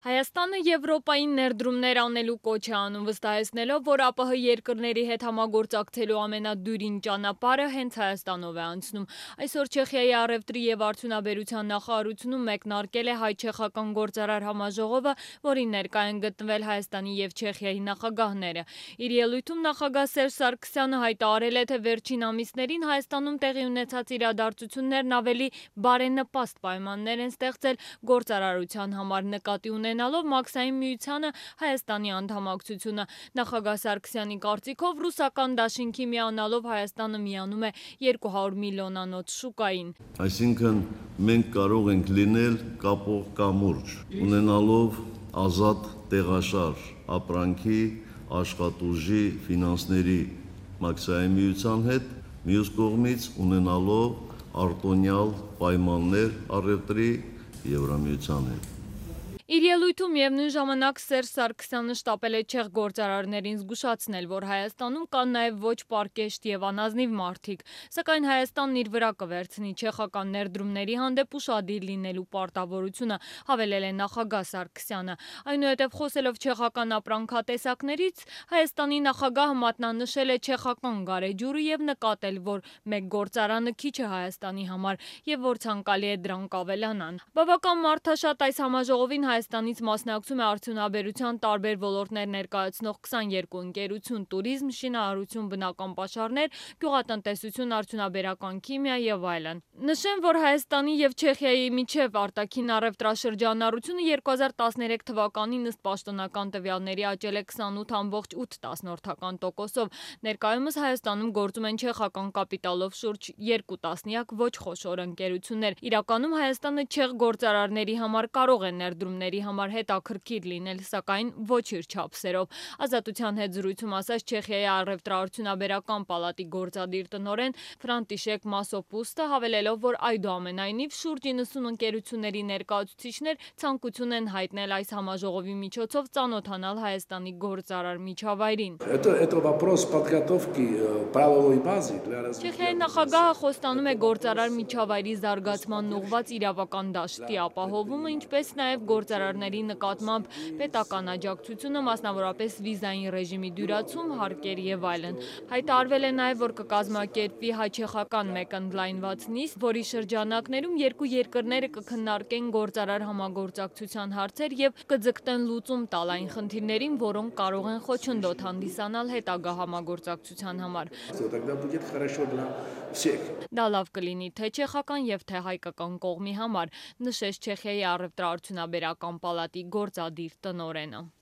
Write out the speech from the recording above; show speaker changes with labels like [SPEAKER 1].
[SPEAKER 1] Հայաստանը Եվրոպային ներդրումներ անելու կոչ է անում, վստահեցնելով, որ ԱՊՀ երկրների հետ համագործակցելու ամենադյուրին ճանապարհը հենց Հայաստանով է անցնում։ Այսօր Չեխիայի առևտրի և արդյունաբերության նախարարությունում մեկնարկել է հայ-չեխական գործարար համաժողովը, որին ներկա են գտնվել Հայաստանի և Չեխիայի նախագահները։ Իր ելույթում նախագահ Սերժ Սարգսյանը հայտարարել է, թե վերջին ամիսներին Հայաստանում տեղի ունեցած իրադարձություններն ավելի բարենպաստ պայմաններ են ստեղծել գործարարության համար, նկատի ունենալով Մաքսային միությանը Հայաստանի անդամակցությունը։ Նախագահ Սարգսյանի կարծիքով ռուսական դաշինքի միանալով Հայաստանը միանում է 200 միլիոնանոց շուկային։
[SPEAKER 2] Այսինքն մենք կարող ենք լինել կապող կամուրջ, ունենալով ազատ տեղաշարժ ապրանքի, աշխատուժի, ֆինանսների Մաքսային միության հետ, մյուս կողմից ունենալով արտոնյալ պայմաններ առևտրի Եվրամիության հետ։
[SPEAKER 1] Իր ելույթում միևնույն ժամանակ Սերժ Սարգսյանը շտապել է չեխ գործարարներին զգուշացնել, որ Հայաստանում կան նաև ոչ պարկեշտ և անազնիվ մարդիկ, սակայն Հայաստանն իր վրա կվերցնի չեխական ներդրումների հանդեպ ուշադիր լինելու պարտավորությունը, հավելել է նախագահ Սարգսյանը։ Այնուհետև խոսելով չեխական ապրանքատեսակներից, Հայաստանի նախագահը մատնանշել է չեխական գարեջուրը և նկատել, որ մեկ գործարանը քիչ է Հայաստանի համար և որ ցանկալի է դրանք ավելանան։ Բավական մարդաշատ այս համաժողովին Հայաստանից մասնակցում է արդյունաբերության տարբեր ոլորտներ ներկայացնող 22 ընկերություն՝ տուրիզմ, շինարարություն, բնական պաշարներ, գյուղատնտեսություն, արդյունաբերական քիմիա և այլն։ Նշեմ, որ Հայաստանի և Չեխիայի միջև արտաքին առևտրաշրջանառությունը 2013 թվականին ըստ պաշտոնական տվյալների աճել է 28.8%-ով։ Ներկայումս Հայաստանում գործում են չեխական կապիտալով շուրջ 2 տասնյակ ոչ խոշոր ընկերություններ։ Իրականում Հայաստանը չեխ գործարարների համար կարող է ներդրումների համար հետաքրքիր լինել, սակայն ոչ իր չափսերով։ Ազատության հետ զրույցում ասաց Չեխիայի առևտրաարդյունաբերական պալատի գործադիր տնօրեն Ֆրանտիշեք Մասոպուստը, հավելելով, որ այդուամենայնիվ շուրջ 90 ընկերությունների ներկայացուցիչներ ցանկություն են հայտնել այս համաժողովի միջոցով ծանոթանալ Հայաստանի գործարար միջավայրին։ Չեխիայի նախագահը խոստանում է գործարար միջավայրի զարգացմանն ուղղված իրավական դաշտի ապահովումը, ինչպես նաև գործարարների նկատմամբ պետական աջակցությունը, մասնավորապես վիզային ռեժիմի դյուրացում, հարկեր և այլն։ Հայտարարվել է նաև, որ կկազմակերպվի հայ-չեխական մեկ ընդլայնված նիստ, որի շրջանակներում երկու երկրները կքննարկեն գործարար համագործակցության հարցեր և կձգտեն լուծում տալ այն խնդիրներին, որոնք կարող են խոչընդոտ հանդիսանալ հետագա համագործակցության համար։ Դա լավ կլինի թե չեխական և թե հայկական կողմի համար, նշեց Չեխիայի առևտրաարդյունաբերական պալատի գործադիր տնօրենը։